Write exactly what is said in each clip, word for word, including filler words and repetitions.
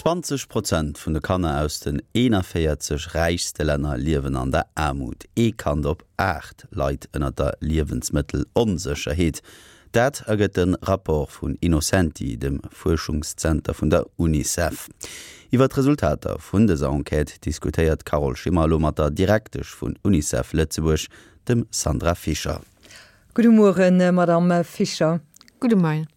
Zwanzeg Prozent vun de Kanner aus den eenanvéierzeg räichste Länner liewen an der Aarmut. Ee Kand op aacht leit ënner der Liewensmëttelonsécherheet. Dat ergëtt de Rapport vun Innocenti, dem Fuerschungszenter vun der Unicef. Iwwer d'Resultater vun dëser Enquête diskutéiert d'Carole Schimmer elo mat der Direktesch vun Unicef Lëtzebuerg, dem Sandra Fischer. Gudde Mueren, Madamm Fischer. Gudde Moien.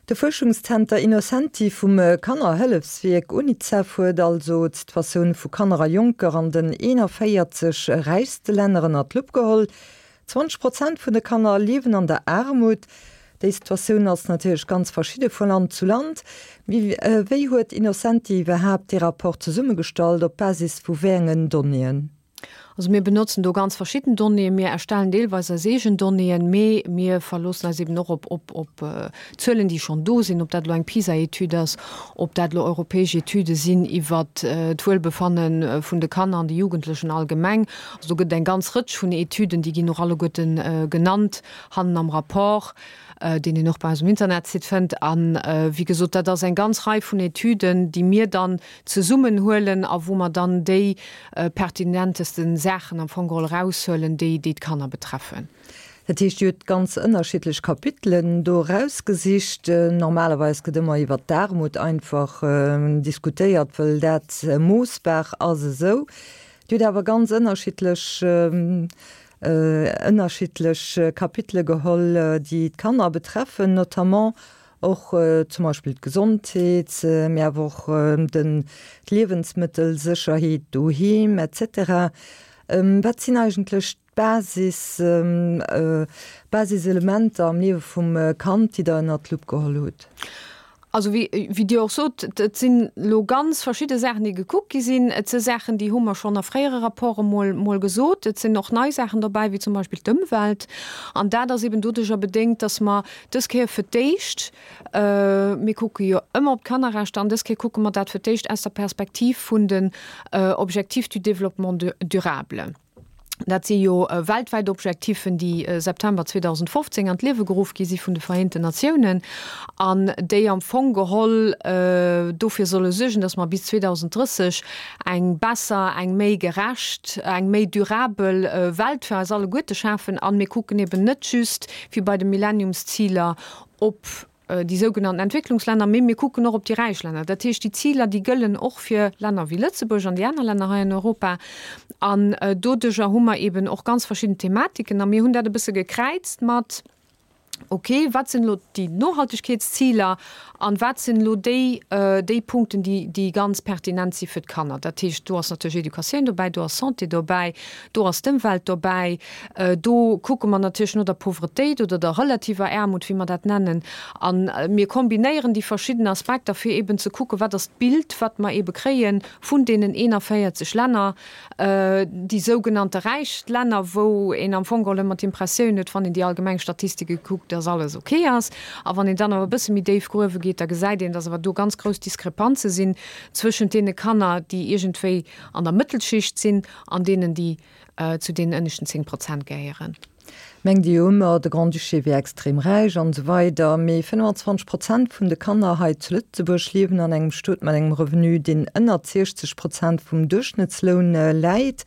De Fuerschungszenter Innocenti vum Kannerhëllefswierk Unicef huet also d'Situatioun vu Kanner a Jonker an den eenanvéierzeg räichste Länner ënner d'Lupp geholl. Zwanzeg Prozent vun de Kanner liewen an der Aarmut. Déi Situatioun ass natierlech ganz verschidde vu Land zu Land. Mee wéi huet Innocenti iwwerhaapt dee Rapport zesummegestallt, op Basis vu wéi engen Donnéeën? Also mir benotzen do ganz verschidden Donnéeën. Mir erstellen deelweis eis eegen Donnéeën, mee mir verloossen eis eben och op, op, op Zuelen, déi schonn do sinn, ob dat elo eng PISA-Etüd ass, ob dat elo europäesch Etüde sinn iwwert d'Wuelbefanne vun de Kanner an de Jugendlechen allgemeng. Also do gëtt et eng ganz Rëtsch vun Etüden, déi ginn och alleguerten genannt hannen am Rapport, deen een och bei eis um Internetsite fënnt. A wéi gesot, dat ass eng ganz Rei vun Etüden, déi mir dann zesummenhuelen a wou mer dann déi pertinentesten Saachen am Fong geholl eraushuelen, déi déi d'Kanner betreffen. Dat heescht, Dir hutt ganz ënnerschiddlech Kapitelen do erausgesicht. Normalerweis gëtt ëmmer iwwert d'Aarmut einfach diskutéiert, wëll dat moossbar ass esou. Dir hutt awer ganz ënnerschiddlech ënnerschiddlech Kapitele geholl, déi d'Kanner betreffen, notamment och zum Beispill d'Gesondheet, mee awer och den d'Liewensmëttelsécherheet doheem et cetera. Wat sinn eigentlech d'Basis, Basiselementer am Liewe vum Kand, déi Der ënnert d'Lupp geholl hutt? Also wéi, wéi Dir och sot, et sinn elo ganz verschidde Saachen, déi gekuckt gi sinn. Et si Saachen, déi hu mer schonn a fréiere Rapporte mol, mol gesot. Et sinn och nei Saachen dobäi, wéi zum Beispill d'Ëmwelt. An dat ass eben doduerjer bedéngt, dass mer dës Kéier fir d'éischt, mir kucke jo ëmmer op d'Kannerrechter, an dës Kéier kucke mer dat fir d'éischt aus der Perspektiv vun den Objectifs du développement durable. Dat si jo weltwäit Objektiffen, déi September zweedausendfofzéng an d'Liewe geruff gi si vun de Vereenten Natiounen an déi am Fong geholl dofir solle suergen, datt mer bis zweedausendrësseg eng besser, eng méi gerecht, eng méi durabel Welt fir eis alleguerte schafen. A mir kucken eben net just, wéi bei de Millenniumsziler, op déi sougenannten Entwécklungslänner, mee mir kucken och op déi räich Länner. Dat heescht, déi Ziler, déi gëllen och fir Länner wéi Lëtzebuerg an déi aner Länner hei an Europa. An doduerjer hu mer eeben och ganz verschidden Thematiken. A mir hunn dat e bësse gekräizt mat, okay, wat sinn elo déi Nohaltegkeetsziler an wat sinn elo déi, déi Punkten, déi, déi ganz pertinent si fir d'Kanner. Dat heescht, do ass natierlech Educatioun dobäi, do ass Santé dobäi, do ass d'Ëmwelt dobäi, do kucke mer natierlech no der Pauvretéit oder der relativer Aarmut, wéi mer dat nennen. A mir kombinéieren déi verschidden Aspekter, fir eeben ze kucken, wat ass d'Bild, wat mer eebe kréie vun deenen eenanvéierzeg Länner, déi sougenannte räich Länner, wou een am Fong geholl ëmmer d'Impressioun huet, wann een déi allgemeng Statistike kuckt, dass alles ok ass. A wann een dann awer e bësse méi déif gruewe geet, da gesäit een, dass awer do ganz grouss Diskrepanze sinn zwëschent deene Kanner, déi iergendwéi an der Mëttelschicht sinn, an deenen, déi zu deenen ënneschten zéng Prozent gehéieren. Mengt Dir jo ëmmer, de Grand-Duché wier extrem räich an esou weider, mee fënnfanzwanzeg Prozent vun de Kanner hei zu Lëtzebuerg liewen an engem Stot mat engem Revenu, deen ënnert siechzeg Prozent vum Duerchschnëttsloun läit.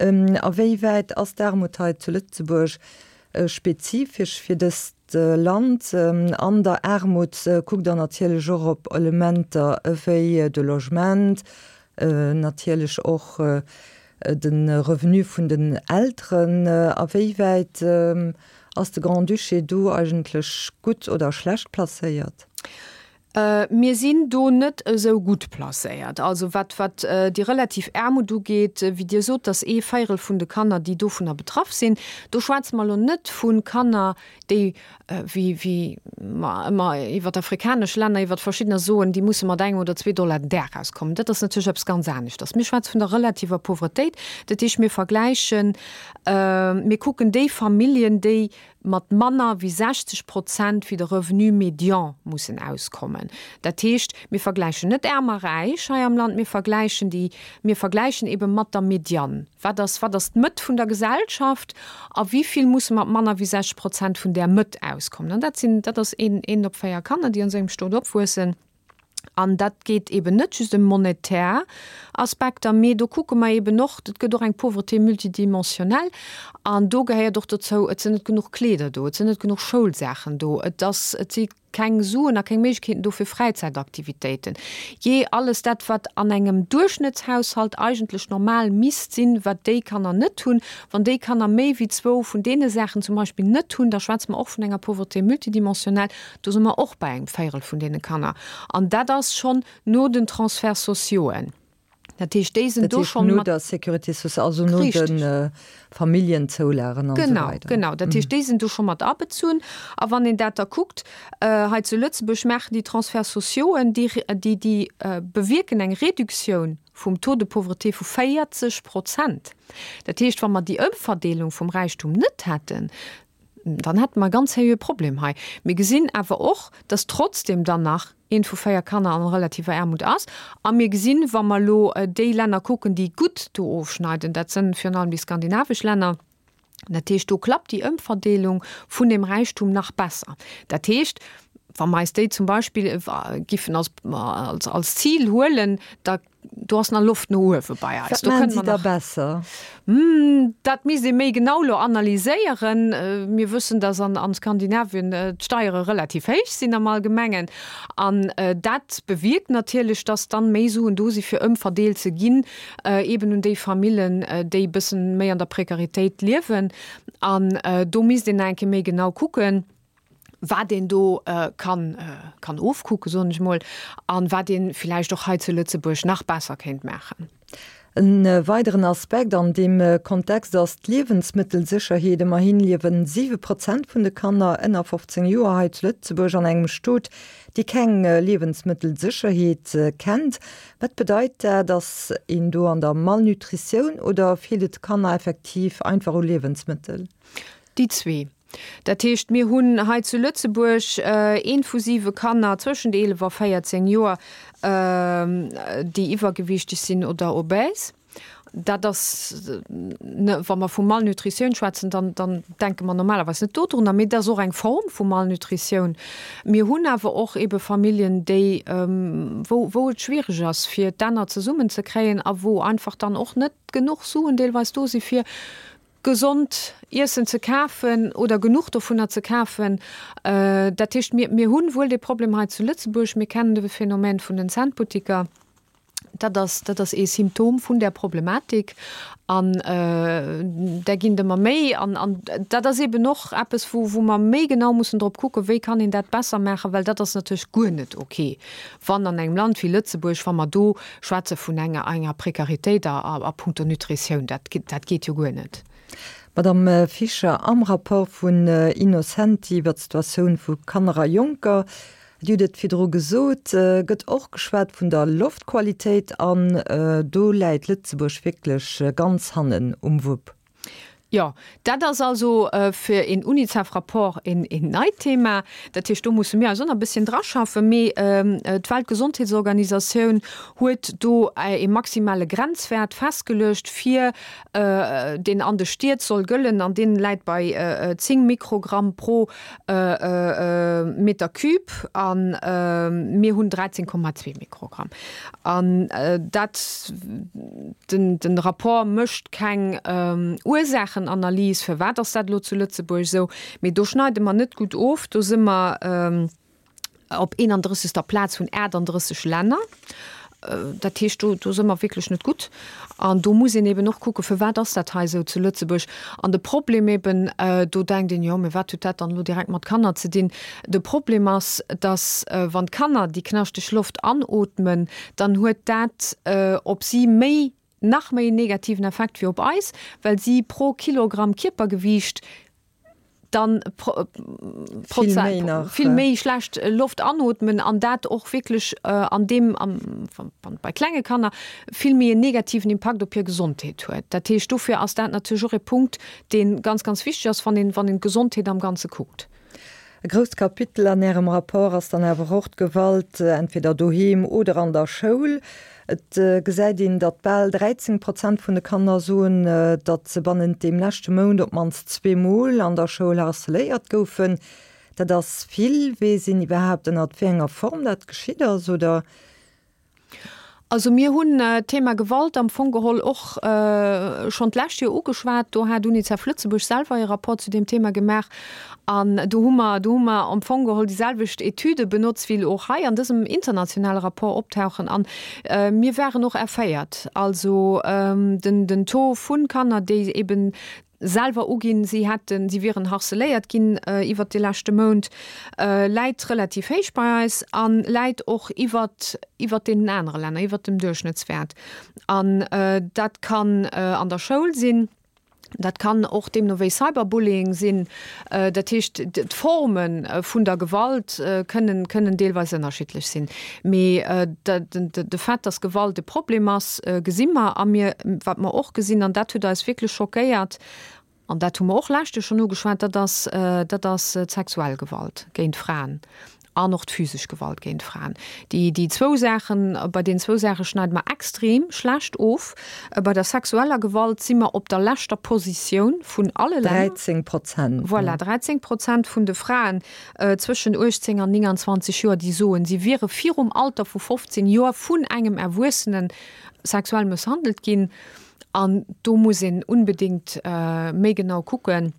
A wéi wäit ass d'Aarmut hei zu Lëtzebuerg spezifesch fir dëst Land? An der Aarmut kuckt Der natierlech och op Elementer ewéi de Logement, natierlech och de Revenu vun den Elteren. A wéi wäit ass de Grand-Duché do eigentlech gutt oder schlecht placéiert? Mir sinn do net esou gutt placéiert. Also wat, wat déi relativ Aarmut ugeet, wéi Dir sot, dass ee Véirel vun de Kanner, déi dovunner betraff sinn, do schwätze mer elo net vu Kanner, déi, wéi, wéi mer ëmmer iwwert afrikanesch Länner, iwwert verschiddener soen, déi musse mat engem oder zwee Dollar den Dag auskommen. Dat ass natierlech eppes ganz aneschters. Mir schwätze vun der relativer Pauvretéit. Dat heescht, mir vergläichen, mir kucken déi Familljen, déi mat manner wéi sechzeg Prozent wéi de Revenu médian mussen auskommen. Dat heescht, mir vergläichen net Aarm a Räich hei am Land, mir vergläichen déi, mir vergläichen ebe mat der Median. Wat ass, wat ass d'Mëtt vun der Gesellschaft a wéi vill musse mat manner wéi sechzeg Prozent vun där Mëtt auskommen? An dat sinn, dat ass een, een op véier Kanner, déi an esou engem Stot opwuessen. An dat geet eben net just ëm monetär Aspekter, mee do kucke mer eben och, et gëtt och eng Pauvreté multidimensionnelle an do gehéiert och dozou, et sinn net genuch Kleeder do, et sinn net genuch Schoulsaachen do, et ass, et si keng Suen a keng Méiglechkeeten do fir Fräizäitaktivitéiten. Jee, alles dat, wat an engem Duerchschnëttshaushalt eigentlech normal misst sinn, wat déi Kanner net hunn. Wann déi Kanner méi wéi zwou vun deene Saachen zum Beispill net hunn, da schwätze mer och vun enger Pauvreté multidimensionnelle. Do si mer och bei engem Véierel vun deene Kanner. An dat ass schonn no den Transferts sociauxen. Dat heescht, déi sinn do schonn mat. No der Sécurité sociale, also no de Familljenzoulagen an esou weider. Genau, genau. Dat heescht, déi sinn do scho mat abezunn. A wann een dat da kuckt, hei zu Lëtzebuerg maachen déi Transferts sociauxen, déi, déi, déi bewierken eng Reduktioun vum Taux de pauvreté vu véierzeg Prozent. Dat heescht, wa mer déi Ëmverdeelung vum Räichtum net hätten, dann hätte mer e ganz seriöe Problem hei. Mir gesinn awer och, dass trotzdem dann nach eent vu véier Kanner an relativer Aarmut ass. A mir gesinn, wa mer elo déi Länner kucken, déi gutt do ofschneiden, dat sënn virun allem déi skandinavesch Länner, dat heescht, do klappt déi Ëmverdeelung vun dem Räichtum nach besser. Dat heescht, wa mer eis déi zum Beispill giffen als, als, als Zil huelen, da do ass nach Loft no uewe bei eis. Wat maachen si da besser? Dat misst ee méi genau elo analyséieren. Mir wëssen, datt an an Skandinavien d'Steiere relativ héich sinn am Allgemengen. An dat bewierkt natierlech, datt dann méi Suen do si fir ëmverdeelt ze ginn, eeben un déi Famillen, déi e bëssen méi an der Prekaritéit liewen. An do misst een nach eng Kéier méi genau kucken, wat een do kann kann ofkucken, soen ech mol, an wat een villäicht och hei zu Lëtzebuerg nach besser kéint maachen. E weideren Aspekt an deem Kontext ass d'Liewensmëttelsécherheet. Ëmmerhin liewen siwe Prozent vun de Kanner ënner fofzéng Joer hei zu Lëtzebuerg an engem Stot, dee keng Liewensmëttelsécherheet kennt. Wat bedeit dat? Ass een do an der Malnutritioun oder feelt et de Kanner effektiv einfach u Liewensmëttel? Déi zwee. Dat heescht, mir hunn hei zu Lëtzebuerg eent vu siwe Kanner zwëschent eelef a véierzéng Joer, déi iwwergewiichteg sinn oder obèse. Dat ass, wa mer vu Malnutritioun schwätzen, dann, dann denke mer normalerweis net dodrunner, mee dat ass och eng Form vu Malnutritioun. Mir hunn awer och ebe Familljen, déi, wou, wou et schwiereg ass, fir d'Enner zesummenzekréien a wou einfach dann och net genuch Suen deelweis do si fir gesond Iessen ze kafen oder genuch dovunner ze kafen. Dat heescht, mir, mir hunn wuel dee Problem hei zu Lëtzebuerg, mir kennen de Phänomen vun den Centbuttiker. Dat ass, dat ass ee Symptom vun där Problematik an där ginn et ëmmer méi. An, an dat ass eeben och eppes, wou, wou mer méi genau mussen drop kucken, wéi kann een dat besser maachen, well dat ass natierlech guer net ok, wann an engem Land wéi Lëtzebuerg, wa mer do schwätze vun enger, enger Prekaritéit a, a puncto Nutritioun, dat, dat geet jo guer net. Madame Fischer, am Rapport vun Innocenti iwwer d'Situatioun vu Kanner a Jonker, Dir hutt et virdru gesot, gëtt och geschwat vun der Loftqualitéit an do läit Lëtzebuerg wierklech ganz hannen um Wupp. Jo, dat ass also fir een Unicef-Rapport een neit Thema. Dat heescht, do musse mir eis och nach e bësschen draschaffen. Mee d'Weltgesondheetsorganisatioun huet do ee maximale Grenzwäert festgeluecht, fir deen an de Stied soll gëllen an deen läit bei zéng Mikrogramm pro Meter cube a mir hunn dräizéng Komma zwee Mikrogramm. An dat, den den Rapport mécht keng Ursaachenanalys, firwat ass dat elo zu Lëtzebuerg esou, mee do schneide mer net gutt of, do si mer op eenandrëssegster Plaz vun aachtanddrësseg Länner. Dat heescht, do, do si mer wierklech net gutt. An do muss een eben och kucken, firwat ass dat hei esou zu Lëtzebuerg. An de Problem eben, do denkt een, jo, mä wat huet dat dann elo direkt mat Kanner ze dinn? De Problem ass, datt wann d'Kanner déi knaschteg Loft anootmen, dann huet dat op si méi, nach méi en negativen Effekt wéi op eis, well si pro Kilogramm Kierpergewiicht dann vill méi schlecht Loft anootmen an dat och wierklech an deem, bei klenge Kanner, vill méi en negativen Impakt op hir Gesondheet huet. Dat heescht, dofir ass dat natierlech och e Punkt, dee ganz, ganz wichteg ass, wann een, wann een d'Gesondheet am Ganze kuckt. E grousst Kapitel an Ärem Rapport ass dann awer och d'Gewalt, entweder doheem oder an der Schoul. Et gesäit een, datt bal dräizéng Prozent vun de Kanner soen, datt se bannent deem leschte Mount op d'mannst zwee Mol an der Schoul harceléiert goufen. Dat ass vill. Weess een iwwerhaapt, ënnert wéi enger Form dat geschitt ass, oder? Also mir hunn d'Thema Gewalt am Fong geholl och schonn d'lescht Joer ugeschwat. Do hat UNICEF Lëtzebuerg selwer ee Rapport zu deem Thema gemaach. An do hu mer, do hu mer am Fong geholl déi selwecht Etüde benotzt, wéi elo och hei an dësem internationale Rapport optauchen. An mir waren och erféiert. Also den, den Taux vu Kanner, déi eben selwer uginn, si hätten, si wieren harceléiert ginn iwwert de leschte Mount, läit relativ héich bei eis a läit och iwwert, iwwert deenen anere Länner, iwwert dem Duerchschnëttswäert. An dat kann an der Schoul sinn, dat kann och deemno wéi Cyberbullying sinn. Dat heescht, d'Forme vun der Gewalt kënnen, kënnen deelweis ënnerschiddlech sinn. Mee de Fait, dass Gewalt e Problem ass, gesi mer. A mir, wat mer och gesinn, an dat huet eis wierklech schockéiert, an dat hu mer och lescht Joer schonn ugeschwat, dat ass, dat ass d'sexuell Gewalt géint Fraen an och d'physesch Gewalt géint Fraen. Déi, déi zwou Saachen, bei deenen zwou Saache schneide mer extrem schlecht of. Bei der sexueller Gewalt si mer op der leschter Positioun vun alle Länner. dräizéng Prozent. Voilà, dräizéng Prozent vun de Fraen zwëschen uechtzéng an nénganzwanzeg Joer, déi soen, si wiere virum Alter vu fofzéng Joer vun engem Erwuessene sexuell mësshandelt ginn. An do muss een unbedéngt méi genau kucken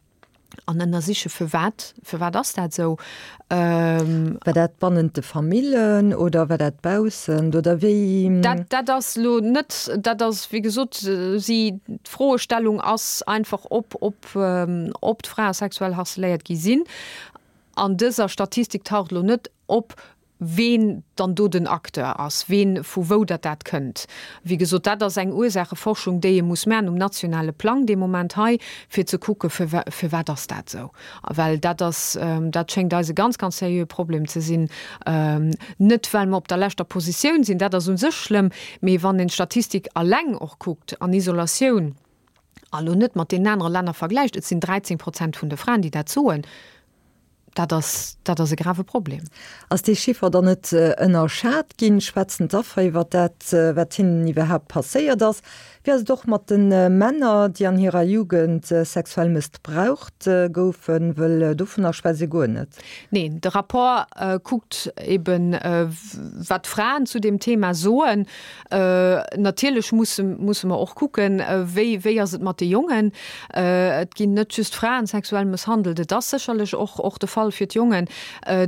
an ënnersiche firwat, firwat ass dat esou. War dat bannent de Famillen oder war dat baussent oder wéi? Dat, dat ass elo net, dat ass wéi gesot, si, d'Froestellung ass einfach ob, ob, ob d'Frae sexuell harceléiert gi sinn. An dëser Statistik taucht elo net op, ween dann do den Acteur ass, ween, vu wou datt dat kënnt. Wéi gesot, dat ass eng Ursaacheforschung, déi ee muss maachen um nationale Plang dee Moment hei, fir ze kucke firwat ass dat esou. Well dat ass, dat schéngt eis e ganz, ganz seriöe Problem ze sinn. Net well mer op der leschter Positioun sinn, dat ass u sech schlëmm, mee wann een d'Statistik alleng och kuckt an Isolatioun, a lo net mat deenen anere Länner vergläicht, et sinn dräizéng Prozent vun de Fraen, déi dat soen, Dat ass, dat ass e grave Problem. Ass dee Chiffer dann net ënnerschat ginn? Schwätzen d'Affer iwwer dat, wat hinnen iwwerhaapt passéiert ass? Wéi ass et och mat de Männer, déi an hirer Jugend sexuell mëssbraucht goufen? Wëll dovunner schwätzt ee guer net. Neen, de Rapport kuckt eben, wat d'Fraen zu deem Thema soen. Natierlech musse, musse mer och kucken, wéi, wéi ass et mat de Jongen? Et ginn net just Fraen sexuell mësshandelt, et ass sécherlech och, och de Fall fir d'Jongen.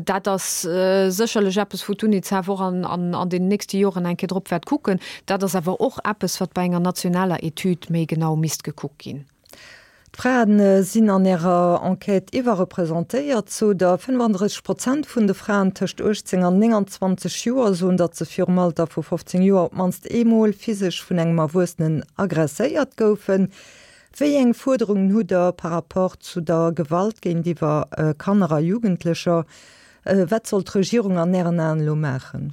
Dat ass sécherlech eppes, wou d'UNICEF och an, an, an den nächste Joren eng Kéier drop wäert kucken. Dat ass awer och eppes, wat bei enger nationaler Etüd méi genau misst gekuckt ginn. D'Fraen sinn an Ärer Enquête iwwerrepresentéiert, sot Der. fënnefandrësseg Prozent vun de Fraen tëscht uechtzéng an nénganzwanzeg Joer soen, datt se virum Alter vu fofzéng Joer op d'mannst eemol physesch vun engem Erwuessenen aggresséiert goufen. Wéi eng Fuerderungen hutt Der par rapport zu der Gewalt géintiwwer Kanner a Jugendlecher? Wat soll d'Regierung an Ären Aen elo maachen?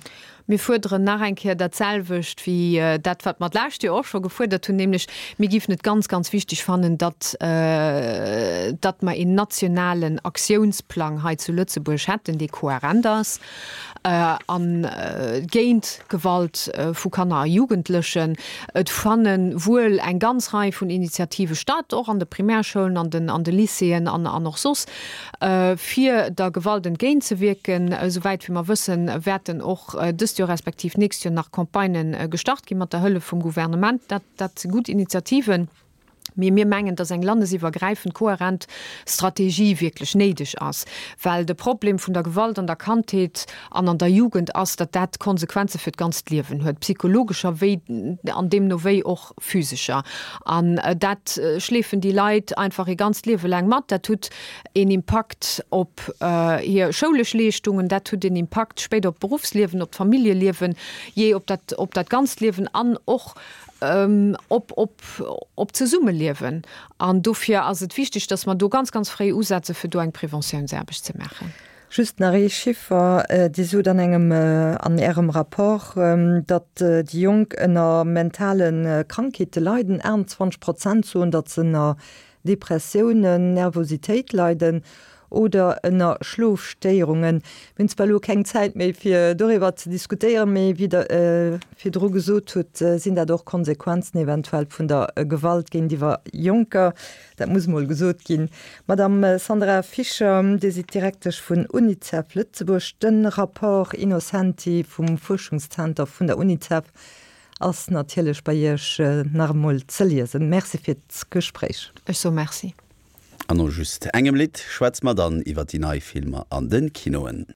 Mir fuerderen nach eng Kéier dat selwecht wéi dat, wat mer d'lescht Joer och scho gefuerdert hunn, nämlech mir géifen et ganz, ganz wichteg fannen, datt, datt mer een nationalen Aktiounsplang hei zu Lëtzebuerg hätten, dee kohärent ass a géint Gewalt vu Kanner a Jugendlechen. Et fanne wuel eng ganz Rei vun Initiative statt, och an de Primärschoulen, an den, an de Lycéeën an, an och soss, fir der Gewalt entgéintzewierken. Esouwäit wéi mer wëssen, wäerten och dëst Joer respektiv nächst Joer nach Campagnë gestart gi mat der Hëllef vum Gouvernement. Dat, dat si gutt Initiativen. Mee mir mengen, dass eng landesiwwergräifend kohärent Strategie wierklech néideg ass, well de Problem vun der Gewalt an der Kandheet an an der Jugend ass, datt dat Konsequenze fir d'ganzt Liewen huet, psychologescher wéi an deemno wéi och physescher. An dat schleefen déi Leit einfach ee ganzt Liewe laang mat. Dat huet een Impakt op hir schoulesch Leeschtungen, dat huet een Impakt spéider op d'Beruffsliewen, op d'Familljeliewen, jee op dat, op dat ganzt Liewen an och op, op, op d'Zesummeliewen. An dofir ass et wichteg, dass mer do ganz, ganz fréi usetze fir do eng Preventiounsaarbecht ze maachen. Just nach ee Chiffer, Dir sot an engem, an Ärem Rapport, datt déi Jonk ënner mentale Krankheete leiden. achtenzwanzeg Prozent soen, datt se ënner Depressiounen, Nervositéit leiden oder ënner Schlofstéierungen. Mir hunn zwar elo keng Zäit méi fir doriwwer ze diskutéieren, mee wéi Der virdru gesot hutt, sinn dat och Konsequenzen eventuell vun der Gewalt géintiwwer Jonker. Dat muss emol gesot ginn. Madame Sandra Fischer, Dir sidd Direktesch vun UNICEF Lëtzebuerg. De Rapport Innocenti vum Fuerschungszenter vun der UNICEF ass natierlech bei Iech nach emol ze liesen. Merci fir d'Gespréich. Ech soe Merci. An no just engem Lidd schwätze mer dann iwwer déi nei Filmer an de Kinoen.